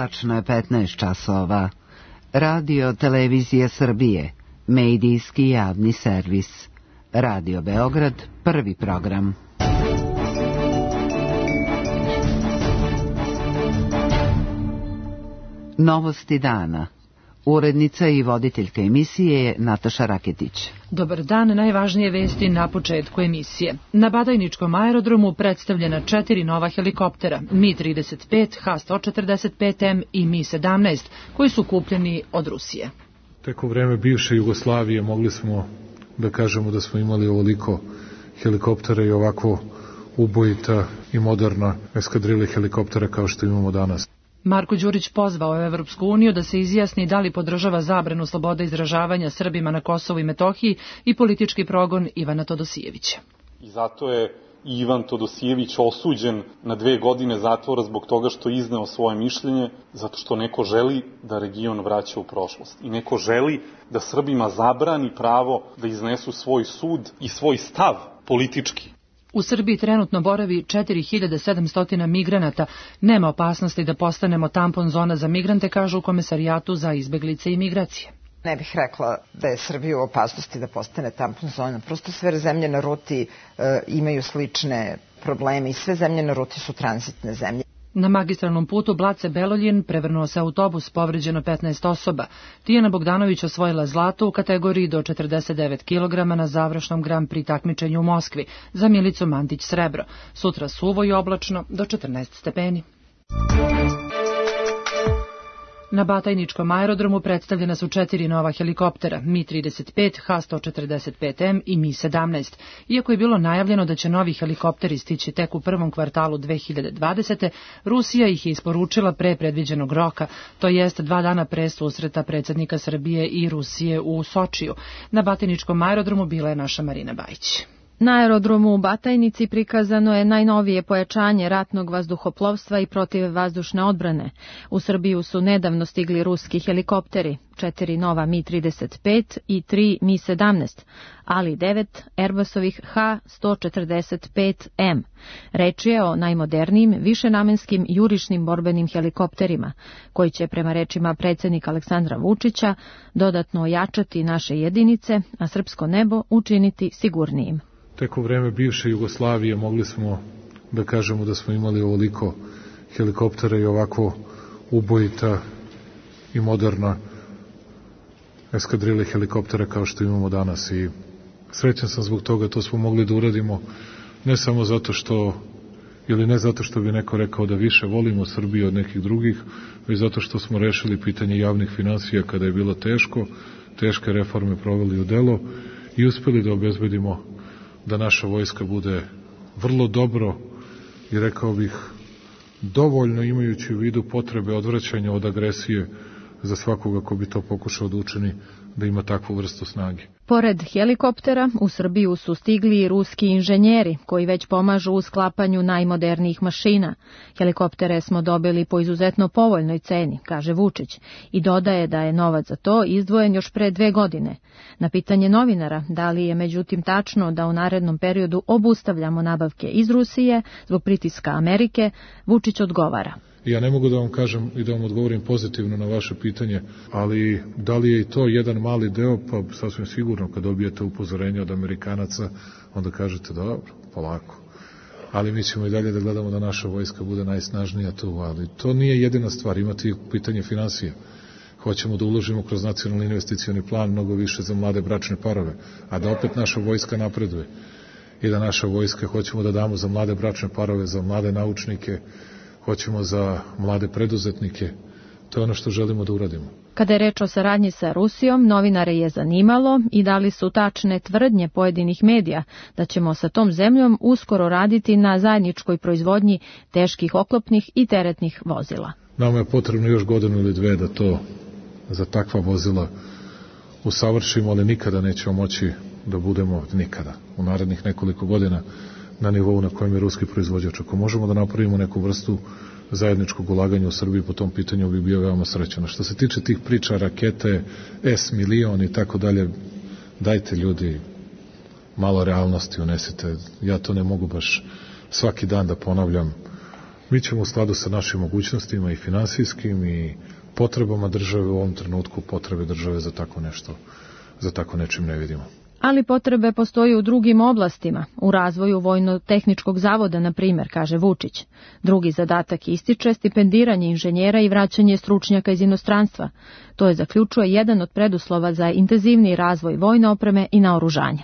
Tačno je 15 časova. Radio Televizija Srbije, medijski javni servis. Radio Beograd, prvi program. Novosti dana. Urednica i voditeljka emisije je Nataša Raketić. Dobar dan, najvažnije vesti na početku emisije. Na Batajničkom aerodromu predstavljena 4 nova helikoptera, Mi-35, H-145M i Mi-17, koji su kupljeni od Rusije. Tek u vreme bivše Jugoslavije mogli smo da kažemo da smo imali ovoliko helikoptera i ovako ubojita i moderna eskadrile helikoptera kao što imamo danas. Marko Đurić pozvao je Evropsku uniju da se izjasni da li podržava zabranu slobode izražavanja Srbima na Kosovu i Metohiji i politički progon Ivana Todosijevića. I zato je Ivan Todosijević osuđen na 2 godine zatvora zbog toga što je izneo svoje mišljenje, zato što neko želi da region vraća u prošlost. I neko želi da Srbima zabrani pravo da iznesu svoj sud i svoj stav politički. U Srbiji trenutno boravi 4700 migranata. Nema opasnosti da postanemo tampon zona za migrante, kažu u Komesarijatu za izbeglice i migracije. Ne bih rekla da je Srbija u opasnosti da postane tampon zona. Prosto sve zemlje na ruti imaju slične probleme i sve zemlje na ruti su tranzitne zemlje. Na magistralnom putu Blace-Beloljin prevrnuo se autobus, povređeno 15 osoba. Tijana Bogdanović osvojila zlato u kategoriji do 49 kg na završnom Grand Prix takmičenju u Moskvi, za Milicu Mandić srebro. Sutra suvo i oblačno do 14 stepeni. Na Batajničkom aerodromu predstavljena su 4 nova helikoptera, Mi-35, H-145M i Mi-17. Iako je bilo najavljeno da će novi helikopteri stići tek u prvom kvartalu 2020. Rusija ih je isporučila pre predviđenog roka, to jest 2 dana pre susreta predsjednika Srbije i Rusije u Sočiju. Na Batajničkom aerodromu bila je naša Marina Bajić. Na aerodromu u Batajnici prikazano je najnovije pojačanje ratnog vazduhoplovstva i protivvazdušne odbrane. U Srbiju su nedavno stigli ruski helikopteri, 4 nova Mi-35 i 3 Mi-17, ali 9 Airbusovih H-145M. Reč je o najmodernijim, višenamenskim jurišnim borbenim helikopterima, koji će, prema rečima predsjednika Aleksandra Vučića, dodatno ojačati naše jedinice, a srpsko nebo učiniti sigurnijim. Tek u vreme bivše Jugoslavije mogli smo da kažemo da smo imali ovoliko helikoptera i ovako ubojita i moderna eskadrile helikoptera kao što imamo danas. I srećan sam zbog toga, to smo mogli da uradimo ne samo zato što, ili ne zato što bi neko rekao da više volimo Srbiju od nekih drugih, već zato što smo rešili pitanje javnih finansija kada je bilo teško, teške reforme proveli u delo i uspeli da obezbedimo da naša vojska bude vrlo dobro i rekao bih dovoljno imajući u vidu potrebe odvraćanja od agresije za svakoga ko bi to pokušao da učini, da ima takvu vrstu snage. Pored helikoptera, u Srbiju su stigli i ruski inženjeri, koji već pomažu u sklapanju najmodernijih mašina. Helikoptere smo dobili po izuzetno povoljnoj ceni, kaže Vučić, i dodaje da je novac za to izdvojen još pre 2 godine. Na pitanje novinara, da li je međutim tačno da u narednom periodu obustavljamo nabavke iz Rusije zbog pritiska Amerike, Vučić odgovara. Ja ne mogu da vam kažem i da vam odgovorim pozitivno na vaše pitanje, ali da li je i to jedan mali deo, pa sasvim sigurno kad dobijete upozorenje od Amerikanaca, onda kažete dobro, polako. Ali mi ćemo i dalje da gledamo da naša vojska bude najsnažnija tu, ali to nije jedina stvar, imati pitanje finansija. Hoćemo da uložimo kroz nacionalni investicioni plan mnogo više za mlade bračne parove, a da opet naša vojska napreduje i da naša vojska hoćemo da damo za mlade bračne parove, za mlade naučnike, hoćemo za mlade preduzetnike. To je ono što želimo da uradimo. Kada je reč o saradnji sa Rusijom, novinare je zanimalo i da li su tačne tvrdnje pojedinih medija da ćemo sa tom zemljom uskoro raditi na zajedničkoj proizvodnji teških oklopnih i teretnih vozila. Nama je potrebno još 1 ili 2 da to za takva vozila usavršimo, ali nikada nećemo moći da budemo nikada u narednih nekoliko godina na nivou na kojem je ruski proizvođač. Ako možemo da napravimo neku vrstu zajedničkog ulaganja u Srbiji po tom pitanju, bi bio veoma srećan. Što se tiče tih priča, rakete, S-milion i tako dalje, dajte ljudi malo realnosti unesite. Ja to ne mogu baš svaki dan da ponavljam Mi ćemo u skladu sa našim mogućnostima i finansijskim i potrebama države u ovom trenutku, potrebe države za tako nešto, za tako nečim ne vidimo. Ali potrebe postoje u drugim oblastima, u razvoju vojno-tehničkog zavoda, na primjer, kaže Vučić. Drugi zadatak ističe stipendiranje inženjera i vraćanje stručnjaka iz inostranstva. To je, zaključuje, jedan od preduslova za intenzivniji razvoj vojne opreme i naoružanja.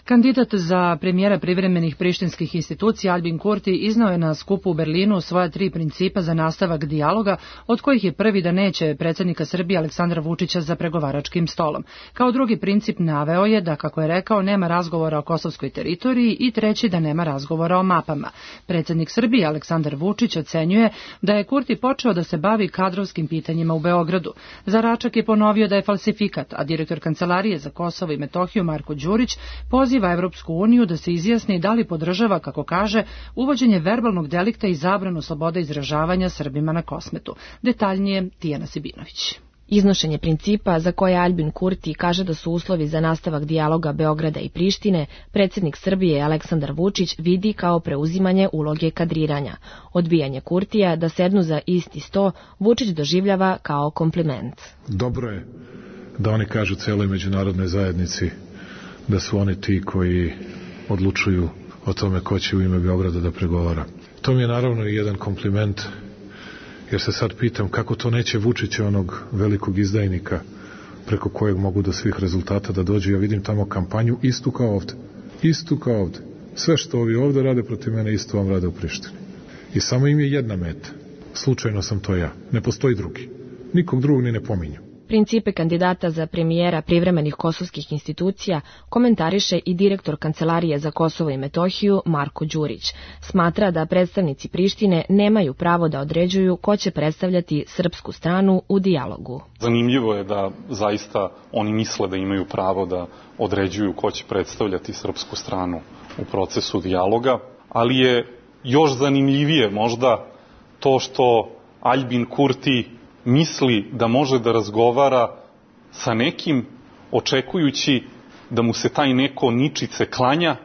Kandidat za premijera privremenih prištinskih institucija Albin Kurti iznao je na skupu u Berlinu svoja 3 principa za nastavak dijaloga, od kojih je prvi da neće predsjednika Srbije Aleksandra Vučića za pregovaračkim stolom. Kao drugi princip naveo je da, kako je rekao, nema razgovora o kosovskoj teritoriji i treći da nema razgovora o mapama. Predsjednik Srbije Aleksandar Vučić ocenjuje da je Kurti počeo da se bavi kadrovskim pitanjima u Beogradu. Za Račak je ponovio da je falsifikat, a direktor Kancelarije za Kosovo i Metohiju Marko Đurić poziva Evropsku uniju da se izjasni da li podržava, kako kaže, uvođenje verbalnog delikta i zabranu slobode izražavanja Srbima na Kosmetu. Detaljnije Tijana Sibinović. Iznošenje principa za koje Albin Kurti kaže da su uslovi za nastavak dijaloga Beograda i Prištine, predsjednik Srbije Aleksandar Vučić vidi kao preuzimanje uloge kadriranja. Odbijanje Kurtija da sednu za isti sto Vučić doživljava kao kompliment. Dobro je da oni kažu celoj međunarodnoj zajednici da su oni ti koji odlučuju o tome ko će u ime Beograda da pregovara. To mi je naravno i jedan kompliment, jer se sad pitam kako to neće Vučića, onog velikog izdajnika, preko kojeg mogu do svih rezultata da dođu. Ja vidim tamo kampanju istu kao ovde. Istu kao ovde. Sve što ovi ovde rade protiv mene, isto vam rade u Prištini. I samo im je jedna meta. Slučajno sam to ja. Ne postoji drugi. Nikog drugog ni ne pominju. Principe kandidata za premijera privremenih kosovskih institucija komentariše i direktor Kancelarije za Kosovo i Metohiju Marko Đurić. Smatra da predstavnici Prištine nemaju pravo da određuju ko će predstavljati srpsku stranu u dijalogu. Zanimljivo je da zaista oni misle da imaju pravo da određuju ko će predstavljati srpsku stranu u procesu dijaloga, ali je još zanimljivije možda to što Albin Kurti misli da može da razgovara sa nekim očekujući da mu se taj neko ničice klanja,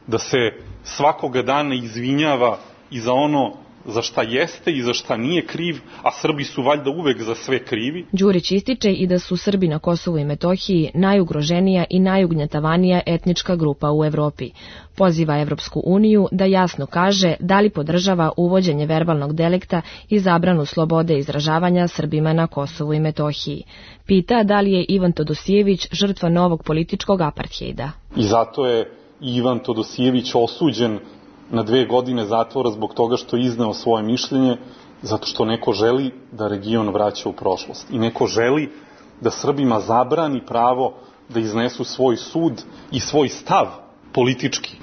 da se svakoga dana izvinjava i za ono za šta jeste i za šta nije kriv, a Srbi su valjda uvek za sve krivi. Đurić ističe i da su Srbi na Kosovu i Metohiji najugroženija i najugnjetavanija etnička grupa u Evropi. Poziva Evropsku uniju da jasno kaže da li podržava uvođenje verbalnog delikta i zabranu slobode izražavanja Srbima na Kosovu i Metohiji. Pita da li je Ivan Todosijević žrtva novog političkog aparthejda. I zato je Ivan Todosijević osuđen na 2 godine zatvora zbog toga što je izneo svoje mišljenje, zato što neko želi da region vraća u prošlost. I neko želi da Srbima zabrani pravo da iznesu svoj sud i svoj stav politički,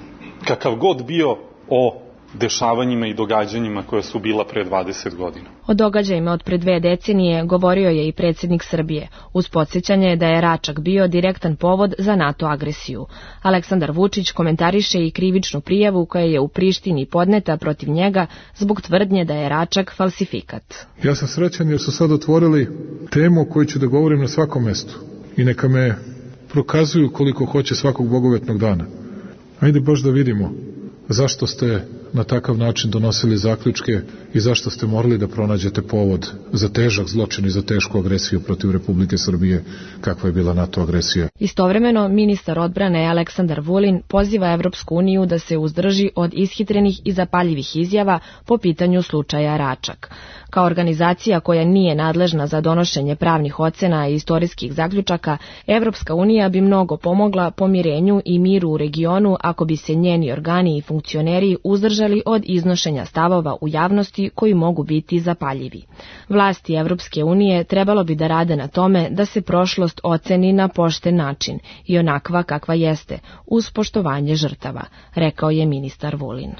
kakav god bio o dešavanjima i događanjima koja su bila pre 20 godina. O događajima od pre 2 decenije govorio je i predsjednik Srbije, uz podsjećanje da je Račak bio direktan povod za NATO agresiju. Aleksandar Vučić komentariše i krivičnu prijavu koja je u Prištini podneta protiv njega zbog tvrdnje da je Račak falsifikat. Ja sam srećan jer su sad otvorili temu o kojoj ću da govorim na svakom mestu. I neka me prokazuju koliko hoće svakog bogovetnog dana. Ajde baš da vidimo zašto ste na takav način donosili zaključke i zašto ste morali da pronađete povod za težak zločin i za tešku agresiju protiv Republike Srbije, kakva je bila NATO agresija. Istovremeno, ministar odbrane Aleksandar Vulin poziva Evropsku uniju da se uzdrži od ishitrenih i zapaljivih izjava po pitanju slučaja Račak. Kao organizacija koja nije nadležna za donošenje pravnih ocena i istorijskih zaključaka, Evropska unija bi mnogo pomogla pomirenju i miru u regionu ako bi se njeni organi i funkcioneri uzdržali od iznošenja stavova u javnosti koji mogu biti zapaljivi. Vlasti Evropske unije trebalo bi da rade na tome da se prošlost oceni na pošten način i onakva kakva jeste, uz poštovanje žrtava, rekao je ministar Vulin.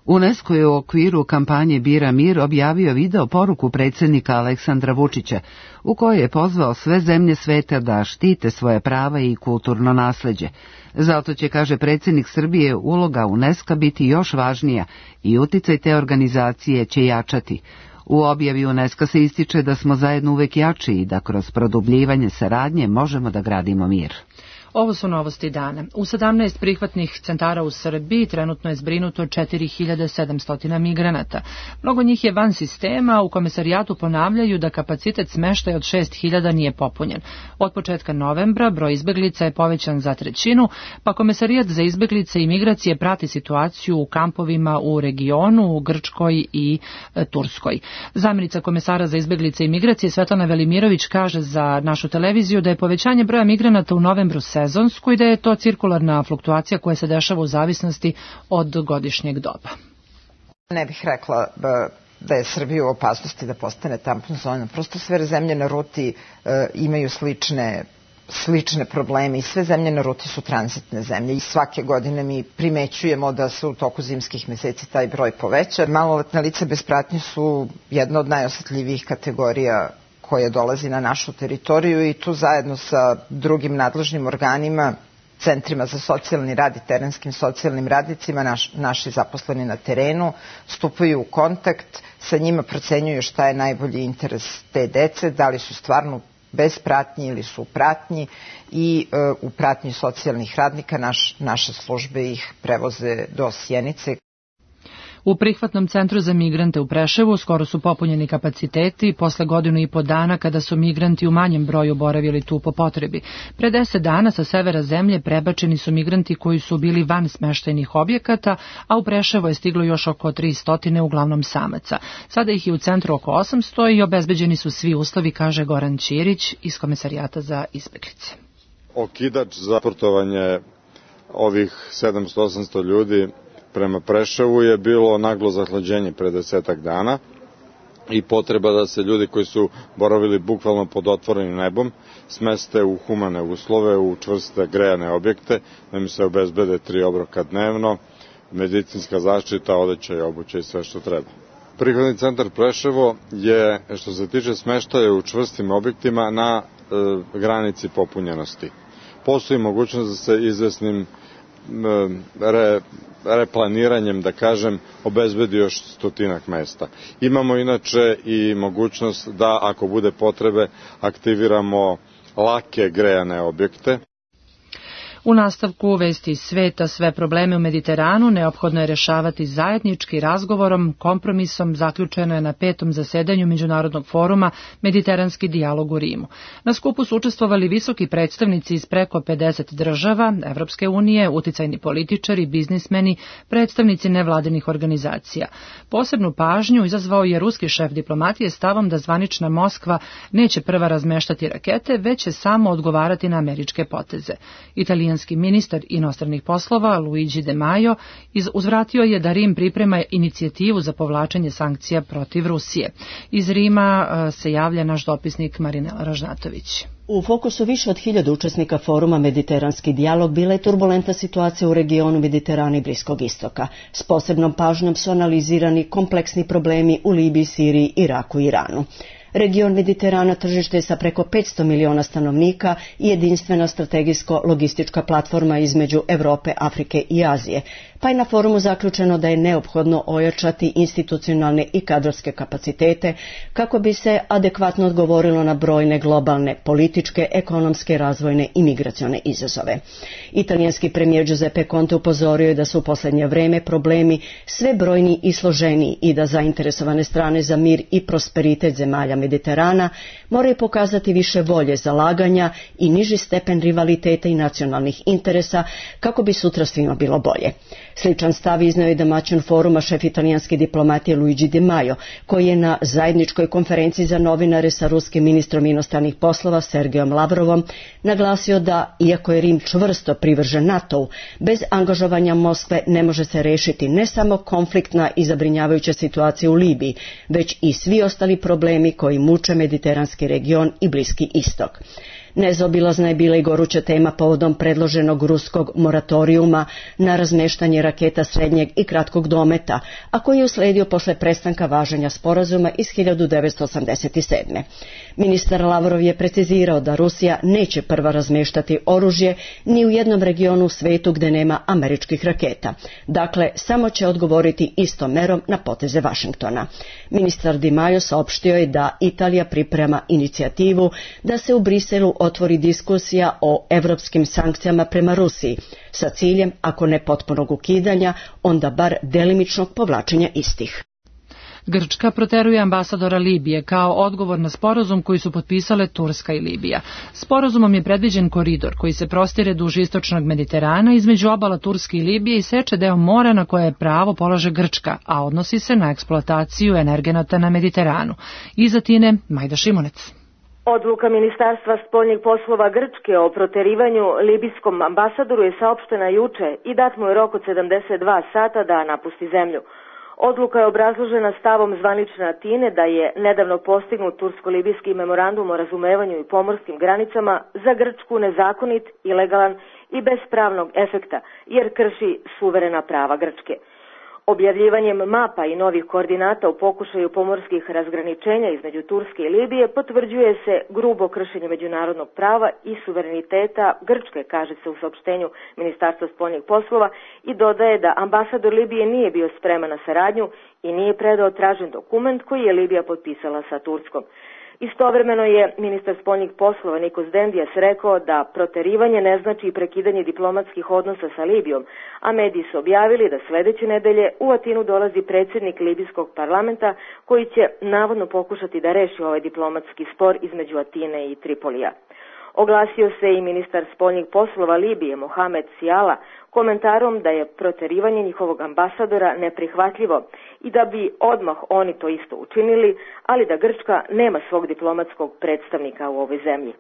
UNESCO je u okviru kampanje Bira mir objavio video poruku predsjednika Aleksandra Vučića, u kojoj je pozvao sve zemlje sveta da štite svoje prava i kulturno nasleđe. Zato će, kaže predsjednik Srbije, uloga UNESCO biti još važnija i uticaj te organizacije će jačati. U objavi UNESCO se ističe da smo zajedno uvek jači i da kroz produbljivanje saradnje možemo da gradimo mir. Ovo su novosti dana. U 17 prihvatnih centara u Srbiji trenutno je zbrinuto 4700 migranata. Mnogo njih je van sistema, u komesarijatu ponavljaju da kapacitet smeštaja od 6000 nije popunjen. Od početka novembra broj izbeglica je povećan za 1/3, pa komesarijat za izbeglice i migracije prati situaciju u kampovima u regionu, u Grčkoj i Turskoj. Zamjenica komesara za izbeglice i migracije Svetlana Velimirović kaže za našu televiziju da je povećanje broja migranata u novembru sezonsko i da je to cirkularna fluktuacija koja se dešava u zavisnosti od godišnjeg doba. Ne bih rekla da je Srbija u opasnosti da postane tampon zona. Prosto sve zemlje na ruti imaju slične probleme i sve zemlje na ruti su tranzitne zemlje i svake godine mi primećujemo da se u toku zimskih meseci taj broj poveća. Maloletna lica bez pratnje su jedna od najosetljivijih kategorija koja dolazi na našu teritoriju i tu zajedno sa drugim nadležnim organima, centrima za socijalni rad i terenskim socijalnim radnicima, naši zaposleni na terenu stupaju u kontakt, sa njima procenjuju šta je najbolji interes te dece, da li su stvarno bez pratnji ili su u pratnji i u pratnji socijalnih radnika naše službe ih prevoze do Sjenice. U prihvatnom centru za migrante u Preševu skoro su popunjeni kapaciteti posle 1,5 godina dana kada su migranti u manjem broju boravili tu po potrebi. Pre 10 dana sa severa zemlje prebačeni su migranti koji su bili van smeštajnih objekata, a u Preševo je stiglo još oko 300, uglavnom samaca. Sada ih je u centru oko 800 i obezbeđeni su svi uslovi, kaže Goran Ćirić iz Komesarijata za izbeglice. Okidač za portovanje ovih 700-800 ljudi prema Preševu je bilo naglo zahlađenje pre 10 dana i potreba da se ljudi koji su boravili bukvalno pod otvorenim nebom smeste u humane uslove, u čvrste grejane objekte, da mi se obezbede 3 obroka dnevno, medicinska zaštita, odeća i obuća i sve što treba. Prihvatni centar Preševo je, što se tiče smeštaja u čvrstim objektima, na granici popunjenosti. Postoji mogućnost da se izvesnim replaniranjem, da kažem, obezbedi još 100 mesta. Imamo inače i mogućnost da, ako bude potrebe, aktiviramo lake grejane objekte. U nastavku vesti iz sveta, sve probleme u Mediteranu neophodno je rešavati zajednički razgovorom, kompromisom. Zaključeno je na 5. zasedanju Međunarodnog foruma Mediteranski dijalog u Rimu. Na skupu su učestvovali visoki predstavnici iz preko 50 država, Evropske unije, uticajni političari, biznismeni, predstavnici nevladinih organizacija. Posebnu pažnju izazvao je ruski šef diplomatije stavom da zvanična Moskva neće prva razmeštati rakete, već će samo odgovarati na američke poteze. Italijanski ministar inostranih poslova Luigi De Maio uzvratio je da Rim priprema inicijativu za povlačenje sankcija protiv Rusije. Iz Rima se javlja naš dopisnik Marinela Ražnatović. U fokusu više od 1000 učesnika foruma Mediteranski dijalog bila je turbulentna situacija u regionu Mediterana i Bliskog istoka. S posebnom pažnjom su analizirani kompleksni problemi u Libiji, Siriji, Iraku i Iranu. Region Mediterana tržište je sa preko 500 miliona stanovnika i jedinstvena strategijsko-logistička platforma između Evrope, Afrike i Azije, pa je na forumu zaključeno da je neophodno ojačati institucionalne i kadrovske kapacitete kako bi se adekvatno odgovorilo na brojne globalne, političke, ekonomske, razvojne i migracione izazove. Italijanski premijer Giuseppe Conte upozorio je da su u posljednje vreme problemi sve brojniji i složeniji i da zainteresovane strane za mir i prosperitet zemalja Mediterana moraju pokazati više volje, zalaganja i niži stepen rivaliteta i nacionalnih interesa kako bi sutra svima bilo bolje. Sličan stav iznio je domaćin foruma šef italijanske diplomatije Luigi De Maio, koji je na zajedničkoj konferenciji za novinare sa ruskim ministrom inostranih poslova Sergejom Lavrovom naglasio da, iako je Rim čvrsto privržen NATO-u, bez angažovanja Moskve ne može se rešiti ne samo konfliktna i zabrinjavajuća situacija u Libiji, već i svi ostali problemi koji muče mediteranski region i Bliski istok. Nezaobilazna je bila i goruća tema povodom predloženog ruskog moratorijuma na razmeštanje raketa srednjeg i kratkog dometa, a koji je usledio posle prestanka važenja sporazuma iz 1987. Ministar Lavrov je precizirao da Rusija neće prva razmeštati oružje ni u jednom regionu u svetu gde nema američkih raketa. Dakle, samo će odgovoriti istom merom na poteze Vašingtona. Ministar Di Maio saopštio je da Italija priprema inicijativu da se u Briselu otvori diskusija o evropskim sankcijama prema Rusiji, sa ciljem, ako ne potpunog ukidanja, onda bar delimičnog povlačenja istih. Grčka proteruje ambasadora Libije kao odgovor na sporazum koji su potpisale Turska i Libija. Sporazumom je predviđen koridor koji se prostire duž istočnog Mediterana između obala Turske i Libije i seče deo mora na koje pravo polaže Grčka, a odnosi se na eksploataciju energenata na Mediteranu. Iz Atine, Majda Šimunec. Odluka Ministarstva spoljnih poslova Grčke o proterivanju libijskom ambasadoru je saopštena juče i dat mu je rok od 72 sata da napusti zemlju. Odluka je obrazložena stavom zvanične Atine da je nedavno postignut tursko-libijski memorandum o razumevanju i pomorskim granicama za Grčku nezakonit, ilegalan i bez pravnog efekta, jer krši suverena prava Grčke. Objavljivanjem mapa i novih koordinata u pokušaju pomorskih razgraničenja između Turske i Libije potvrđuje se grubo kršenje međunarodnog prava i suvereniteta Grčke, kaže se u saopštenju Ministarstva spoljnih poslova, i dodaje da ambasador Libije nije bio spreman na saradnju i nije predao tražen dokument koji je Libija potpisala sa Turskom. Istovremeno je ministar spoljnih poslova Nikos Dendijas rekao da proterivanje ne znači prekidanje diplomatskih odnosa sa Libijom, a mediji su objavili da sledeće nedelje u Atinu dolazi predsjednik libijskog parlamenta koji će navodno pokušati da reši ovaj diplomatski spor između Atine i Tripolija. Oglasio se i ministar spoljnih poslova Libije Mohamed Siala komentarom da je proterivanje njihovog ambasadora neprihvatljivo i da bi odmah oni to isto učinili, ali da Grčka nema svog diplomatskog predstavnika u ovoj zemlji.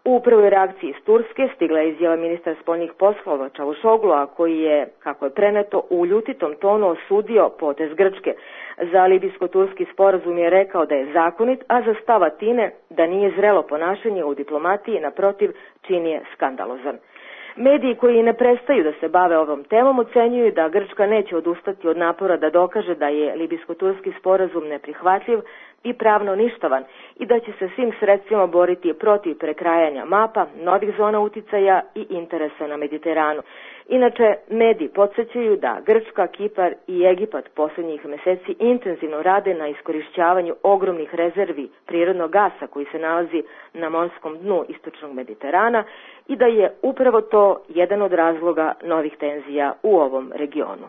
U prvoj reakciji iz Turske stigla je izjava ministra spoljnih poslova Čavušoglu, koji je, kako je preneto, u ljutitom tonu osudio potez Grčke. Za libijsko-turski sporazum je rekao da je zakonit, a za stav Atine da nije zrelo ponašanje u diplomatiji, naprotiv, čin je skandalozan. Mediji koji ne prestaju da se bave ovom temom ocenjuju da Grčka neće odustati od napora da dokaže da je libijsko-turski sporazum neprihvatljiv i pravno ništavan i da će se svim sredstvima boriti protiv prekrajanja mapa, novih zona uticaja i interesa na Mediteranu. Inače, mediji podsjećaju da Grčka, Kipar i Egipat posljednjih meseci intenzivno rade na iskorišćavanju ogromnih rezervi prirodnog gasa koji se nalazi na morskom dnu istočnog Mediterana i da je upravo to jedan od razloga novih tenzija u ovom regionu.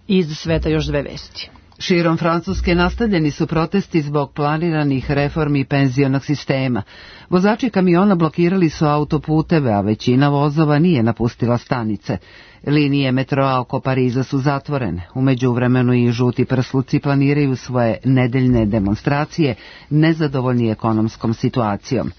Iz sveta još dve vesti. Širom Francuske nastavljeni su protesti zbog planiranih reformi penzionog sistema. Vozači kamiona blokirali su autoputeve, a većina vozova nije napustila stanice. Linije metroa oko Pariza su zatvorene. U međuvremenu i žuti prsluci planiraju svoje nedeljne demonstracije, nezadovoljni ekonomskom situacijom.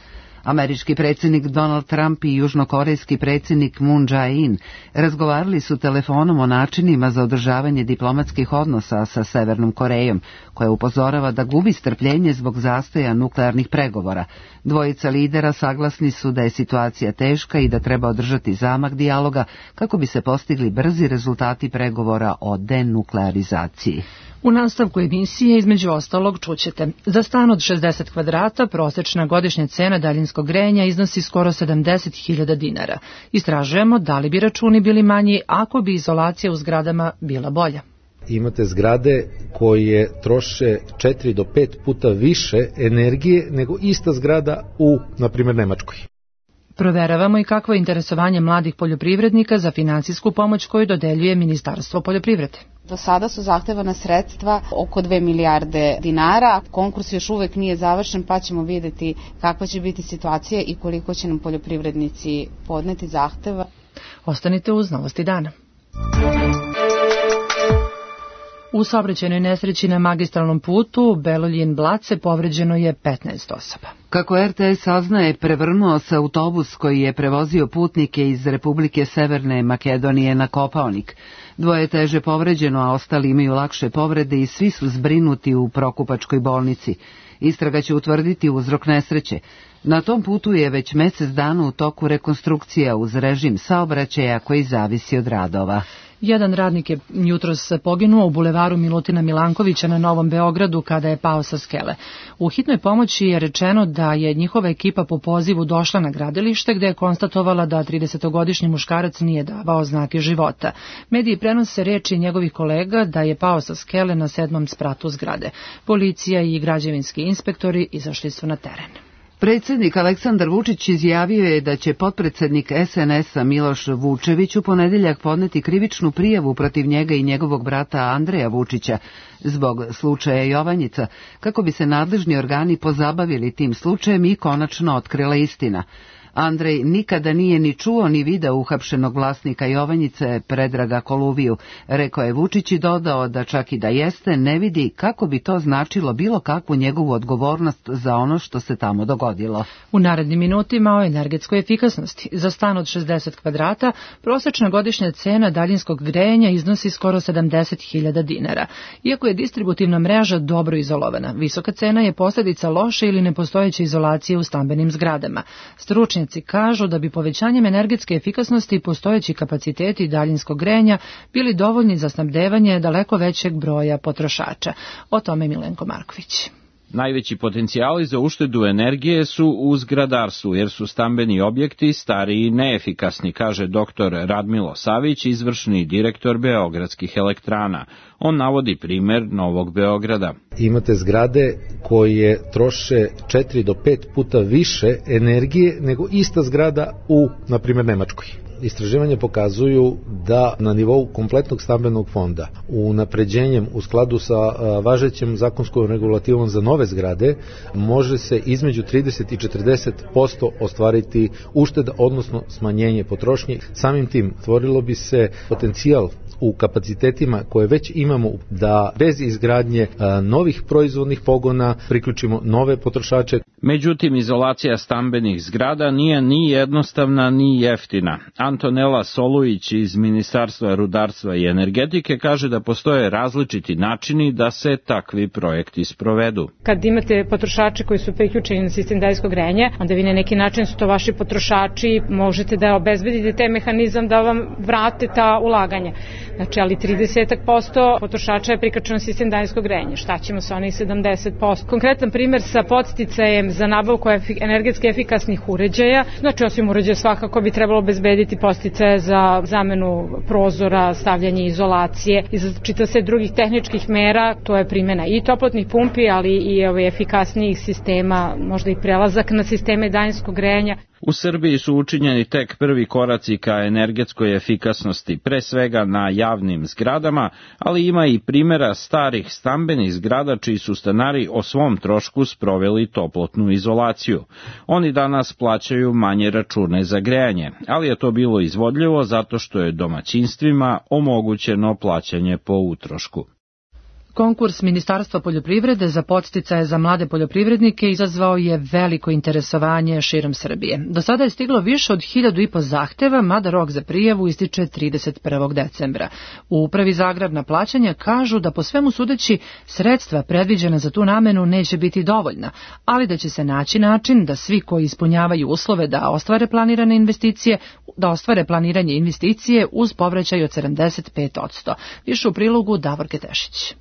Američki predsjednik Donald Trump i južnokorejski predsjednik Moon Jae-in razgovarali su telefonom o načinima za održavanje diplomatskih odnosa sa Severnom Korejom, koja upozorava da gubi strpljenje zbog zastoja nuklearnih pregovora. Dvojica lidera saglasni su da je situacija teška i da treba održati zamak dijaloga kako bi se postigli brzi rezultati pregovora o denuklearizaciji. U nastavku emisije između ostalog čućete: za stan od 60 kvadrata prosječna godišnja cena daljinskog grejanja iznosi skoro 70.000 dinara. Istražujemo da li bi računi bili manji ako bi izolacija u zgradama bila bolja. Imate zgrade koje troše 4 do 5 puta više energije nego ista zgrada u, na primjer, Nemačkoj. Proveravamo i kakvo je interesovanje mladih poljoprivrednika za finansijsku pomoć koju dodeljuje Ministarstvo poljoprivrede. Do sada su zahtevana sredstva oko 2 milijarde dinara. Konkurs još uvek nije završen, pa ćemo vidjeti kakva će biti situacija i koliko će nam poljoprivrednici podneti zahteva. Ostanite uz Novosti dana. U saobraćajnoj nesreći na magistralnom putu Beloljin-Blace povređeno je 15 osoba. Kako RTS saznaje, prevrnuo se autobus koji je prevozio putnike iz Republike Severne Makedonije na Kopaonik. Dvoje teže povređeno, a ostali imaju lakše povrede i svi su zbrinuti u Prokupačkoj bolnici. Istraga će utvrditi uzrok nesreće. Na tom putu je već mjesec dana u toku rekonstrukcija uz režim saobraćaja koji zavisi od radova. Jedan radnik je jutros poginuo u bulevaru Milutina Milankovića na Novom Beogradu kada je pao sa skele. U hitnoj pomoći je rečeno da je njihova ekipa po pozivu došla na gradilište gde je konstatovala da 30-godišnji muškarac nije davao znake života. Mediji prenose reči njegovih kolega da je pao sa skele na 7. spratu zgrade. Policija i građevinski inspektori izašli su na teren. Predsjednik Aleksandar Vučić izjavio je da će potpredsednik SNS-a Miloš Vučević u ponedeljak podneti krivičnu prijavu protiv njega i njegovog brata Andreja Vučića zbog slučaja Jovanjica, kako bi se nadležni organi pozabavili tim slučajem i konačno otkrila istina. Andrej nikada nije ni čuo ni video uhapšenog vlasnika Jovanjice Predraga Koluviju, rekao je Vučić i dodao da čak i da jeste, ne vidi kako bi to značilo bilo kakvu njegovu odgovornost za ono što se tamo dogodilo. U narednim minutima o energetskoj efikasnosti. Za stan od 60 kvadrata prosečna godišnja cena daljinskog grejanja iznosi skoro 70.000 dinara. Iako je distributivna mreža dobro izolovana, visoka cena je posljedica loše ili nepostojeće izolacije u stambenim zgradama. Stručnjaci kažu da bi povećanjem energetske efikasnosti postojeći kapaciteti daljinskog grejanja bili dovoljni za snabdevanje daleko većeg broja potrošača. O tome Milenko Marković. Najveći potencijali za uštedu energije su u zgradarstvu, jer su stambeni objekti stari i neefikasni, kaže dr. Radmilo Savić, izvršni direktor Beogradskih elektrana. On navodi primer Novog Beograda. Imate zgrade koje troše 4 do 5 puta više energije nego ista zgrada u, na primjer, Nemačkoj. Istraživanja pokazuju da na nivou kompletnog stambenog fonda unapređenjem u skladu sa važećem zakonskom regulativom za nove zgrade može se između 30 i 40% ostvariti ušteda, odnosno smanjenje potrošnje. Samim tim stvorilo bi se potencijal u kapacitetima koje već imamo da bez izgradnje novih proizvodnih pogona priključimo nove potrošače. Međutim, izolacija stambenih zgrada nije ni jednostavna ni jeftina. Antonela Solujić iz Ministarstva rudarstva i energetike kaže da postoje različiti načini da se takvi projekti sprovedu. Kad imate potrošače koji su priključeni na sistem daljinskog grejanja, onda vi na neki način su to vaši potrošači, možete da obezbedite taj mehanizam da vam vrate ta ulaganja. Znači, ali 30% potrošača je priključeno na sistem daljinskog grejanja. Šta ćemo sa onih 70%? Konkretan primer sa podsticajem za nabavku energetski efikasnih uređaja. Znači, osim uređaja svakako bi trebalo obezbediti podsticaje za zamenu prozora, stavljanje izolacije i za čitav set drugih tehničkih mera. To je primjena i toplotnih pumpi, ali i efikasnijih sistema, možda i prelazak na sisteme daljinskog grejanja. U Srbiji su učinjeni tek prvi koraci ka energetskoj efikasnosti, pre svega na javnim zgradama, ali ima i primjera starih stambenih zgrada čiji su stanari o svom trošku sproveli toplotnu izolaciju. Oni danas plaćaju manje račune za grejanje, ali je to bilo izvodljivo zato što je domaćinstvima omogućeno plaćanje po utrošku. Konkurs Ministarstva poljoprivrede za podsticaje za mlade poljoprivrednike izazvao je veliko interesovanje širom Srbije. Do sada je stiglo više od 1.500 zahteva, mada rok za prijavu ističe 31. decembra. U Upravi za agrarna plaćanja kažu da po svemu sudeći sredstva predviđena za tu namenu neće biti dovoljna, ali da će se naći način da svi koji ispunjavaju uslove da ostvare planiranje investicije uz povraćaj od 75%. Više u prilogu Davor Ketešić.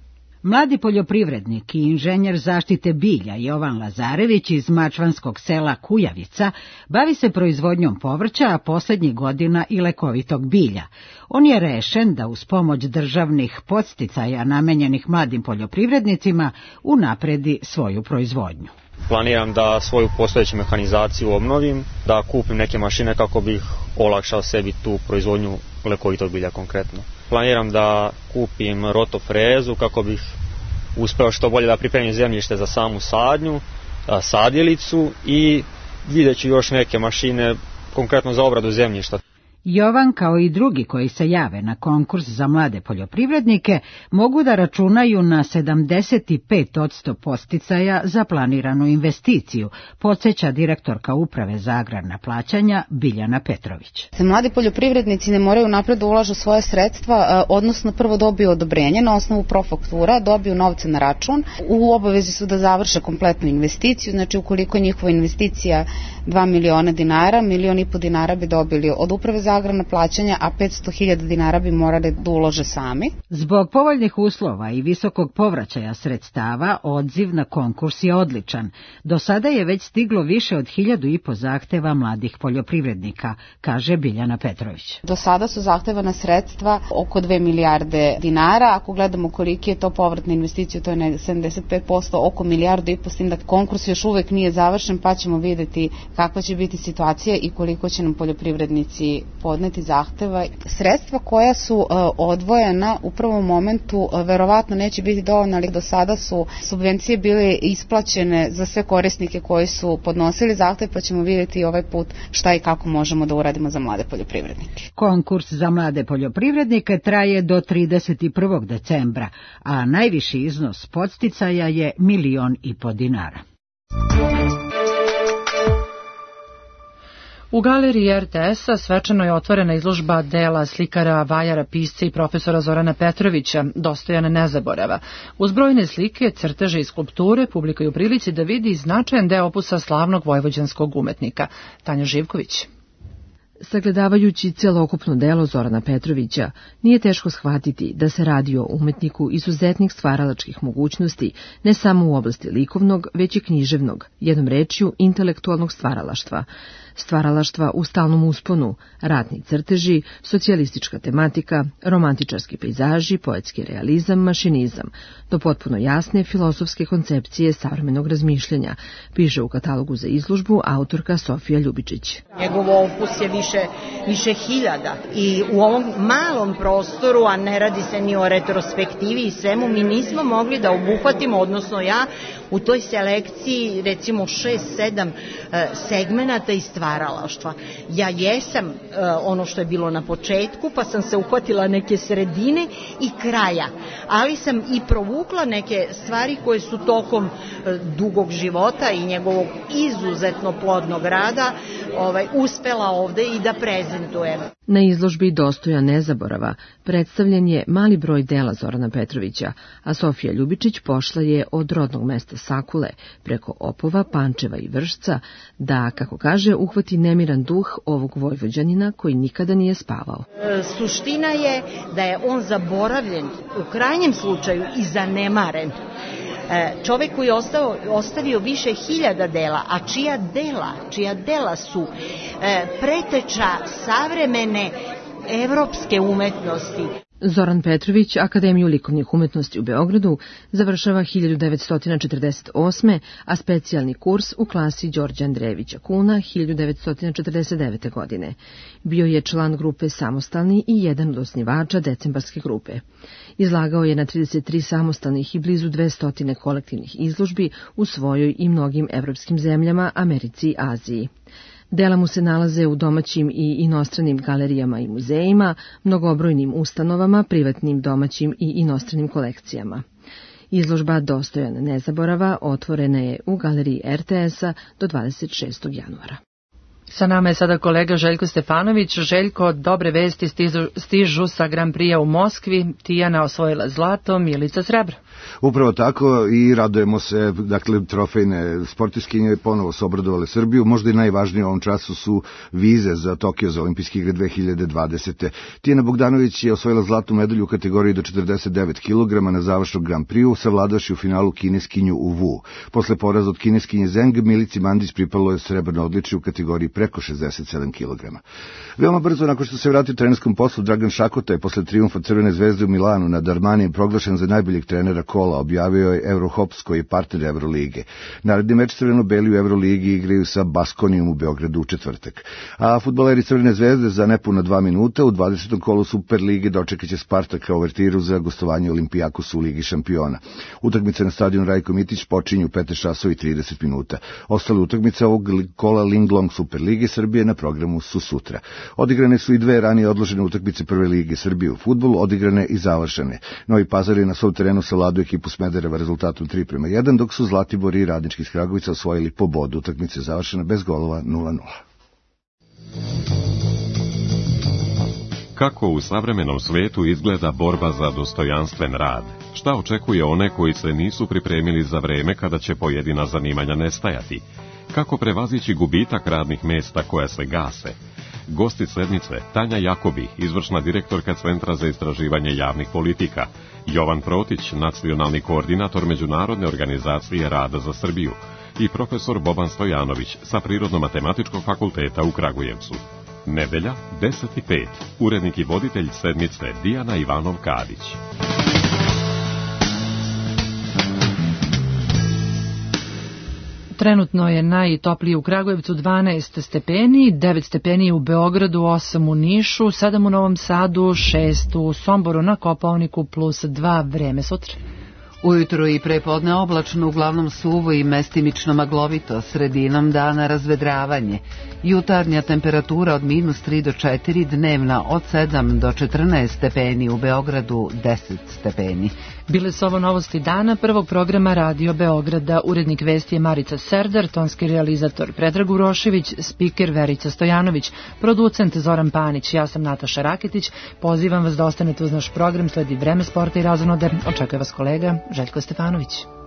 Mladi poljoprivrednik i inženjer zaštite bilja Jovan Lazarević iz mačvanskog sela Kujavica bavi se proizvodnjom povrća, a posljednjih godina i lekovitog bilja. On je rešen da uz pomoć državnih podsticaja namenjenih mladim poljoprivrednicima unapredi svoju proizvodnju. Planiram da svoju postojeću mehanizaciju obnovim, da kupim neke mašine kako bih olakšao sebi tu proizvodnju lekovitog bilja konkretno. Planiram da kupim rotofrezu kako bih uspeo što bolje da pripremim zemljište za samu sadnju, sadjelicu i vidjet ću još neke mašine konkretno za obradu zemljišta. Jovan, kao i drugi koji se jave na konkurs za mlade poljoprivrednike, mogu da računaju na 75% podsticaja za planiranu investiciju, podsjeća direktorka Uprave za agrarna plaćanja Biljana Petrović. Mladi poljoprivrednici ne moraju napred da ulažu svoje sredstva, odnosno prvo dobiju odobrenje na osnovu profaktura, dobiju novce na račun, u obavezi su da završe kompletnu investiciju, znači ukoliko njihova investicija 2 miliona dinara, 1,5 miliona dinara bi dobili od Uprave za za agrarna plaćanja, a 500.000 dinara bi morali da ulože sami. Zbog povoljnih uslova i visokog povraćaja sredstava, odziv na konkurs je odličan. Do sada je već stiglo više od 1.500 zahteva mladih poljoprivrednika, kaže Biljana Petrović. Do sada su zahtevana sredstva oko 2 milijarde dinara. Ako gledamo koliki je to povratna investicija, to je 75%, oko 1,5 milijarde, s tim da konkurs još uvek nije završen, pa ćemo videti kakva će biti situacija i koliko će nam poljoprivrednici podneti zahteva. Sredstva koja su odvojena u prvom momentu verovatno neće biti dovoljna, ali do sada su subvencije bile isplaćene za sve korisnike koji su podnosili zahtev, pa ćemo vidjeti ovaj put šta i kako možemo da uradimo za mlade poljoprivrednike. Konkurs za mlade poljoprivrednike traje do 31. decembra, a najviši iznos podsticaja je 1,5 miliona dinara. U galeriji RTS-a svečano je otvorena izložba dela slikara, vajara, pisca i profesora Zorana Petrovića, Dostojana nezaborava. Uz brojne slike, crteže i skulpture, publika je u prilici da vidi značajan deo opusa slavnog vojvođanskog umetnika. Tanja Živković. Sagledavajući celokupno delo Zorana Petrovića, nije teško shvatiti da se radi o umetniku izuzetnih stvaralačkih mogućnosti, ne samo u oblasti likovnog, već i književnog, jednom rečju intelektualnog stvaralaštva. Stvaralaštva u stalnom usponu, ratni crteži, socijalistička tematika, romantičarski pejzaži, poetski realizam, mašinizam, do potpuno jasne filozofske koncepcije savremenog razmišljanja, piše u katalogu za izložbu autorka Sofija Ljubičić. Njegov opus je više hiljada i u ovom malom prostoru, a ne radi se ni o retrospektivi i svemu, mi nismo mogli da obuhvatimo, odnosno ja, u toj selekciji recimo 6-7 segmenata i stvaralaštva. Ja jesam ono što je bilo na početku, pa sam se uhvatila neke sredine i kraja, ali sam i provukla neke stvari koje su tokom dugog života i njegovog izuzetno plodnog rada uspela ovde i da prezentujem. Na izložbi Dostojan nezaborava predstavljen je mali broj dela Zorana Petrovića, a Sofija Ljubičić pošla je od rodnog mesta Sakule, preko Opova, Pančeva i Vršca, da, kako kaže, uhvati nemiran duh ovog vojvođanina koji nikada nije spavao. Suština je da je on zaboravljen, u krajnjem slučaju i zanemaren. Čovek koji je ostavio više hiljada dela, a čija dela su preteča savremene evropske umetnosti. Zoran Petrović Akademiju likovnih umetnosti u Beogradu završava 1948. a specijalni kurs u klasi Đorđa Andrejevića Kuna 1949. godine. Bio je član grupe Samostalni i jedan od osnivača Decembarske grupe. Izlagao je na 33 samostalnih i blizu 200 kolektivnih izložbi u svojoj i mnogim evropskim zemljama, Americi i Aziji. Dela mu se nalaze u domaćim i inostranim galerijama i muzejima, mnogobrojnim ustanovama, privatnim, domaćim i inostranim kolekcijama. Izložba Dostojan nezaborava otvorena je u galeriji RTS-a do 26. januara. Sa nama je sada kolega Željko Stefanović. Željko, dobre vesti stižu sa Grand Prix-a u Moskvi. Tijana osvojila zlato, Milica srebro. Upravo tako i radujemo se, dakle, trofejne sportiskinje ponovo su obradovale Srbiju. Možda i najvažnije u ovom času su vize za Tokio za olimpijske igre 2020. Tijana Bogdanović je osvojila zlatnu medalju u kategoriji do 49 kg na završnom Grand Prix-u, savladavši u finalu kineskinju u Wu. Posle poraza od kineskinje Zeng, Milici Mandić pripalo je srebrno odličje u kategoriji preko 67 kg. Veoma brzo, nakon što se vratio trenerskom poslu, Dragan Šakota je posle trijumfa Crvene zvezde u Milanu nad Armanijem proglašen za najboljeg trenera kola, objavio je Eurohops koji je partner Evrolige. Naredni meč crveno-beli u Evroligi igraju sa Baskonijom u Beogradu u četvrtak. A fudbaleri Crvene zvezde za nepuna 2 minuta u 20. kolu Superlige dočekat će Spartaka uvertiru za gostovanje Olimpijakosu u Ligi šampiona. Utakmice na stadionu Rajko Mitić počinju u 15:30 minuta. Ostale utakmice ovog kola Linglong Superlige Srbije na programu su sutra. Odigrane su i dve ranije odložene utakmice Prve lige Srbije u fudbalu, odigrane i završene. Novi Pazar je na svom terenu savladao ekipu Smedereva rezultatom 3:1, dok su Zlatibor i Radnički iz Kragovica osvojili po bodu. Utakmica je završena bez golova 0:0. Kako u savremenom svetu izgleda borba za dostojanstven rad? Šta očekuje one koji se nisu pripremili za vreme kada će pojedina zanimanja nestajati? Kako prevazići gubitak radnih mesta koja se gase? Gosti sednice Tanja Jakobi, izvršna direktorka Centra za istraživanje javnih politika, Jovan Protić, nacionalni koordinator Međunarodne organizacije rada za Srbiju i profesor Boban Stojanović sa Prirodno-matematičkog fakulteta u Kragujevcu. Nedelja, 10:05. Urednik i voditelj sedmice Dijana Ivanov-Kadić. Trenutno je najtoplije u Kragujevcu 12 stepeni, 9 stepeni u Beogradu, 8 u Nišu, 7 u Novom Sadu, 6 u Somboru, na Kopaoniku plus 2 vreme sutra. Ujutro i prepodne oblačno, uglavnom suvo i mestimično maglovito, sredinom dana razvedravanje. Jutarnja temperatura od -3 do 4, dnevna od 7 do 14 stepeni, u Beogradu 10 stepeni. Bile su ovo novosti dana prvog programa Radio Beograda. Urednik vesti je Marica Serdar, tonski realizator Predrag Urošević, spiker Verica Stojanović, producent Zoran Panić. Ja sam Nataša Raketić. Pozivam vas da ostanete uz naš program, sledi vreme, sporta i razonode. Očekuje vas kolega Željko Stefanović.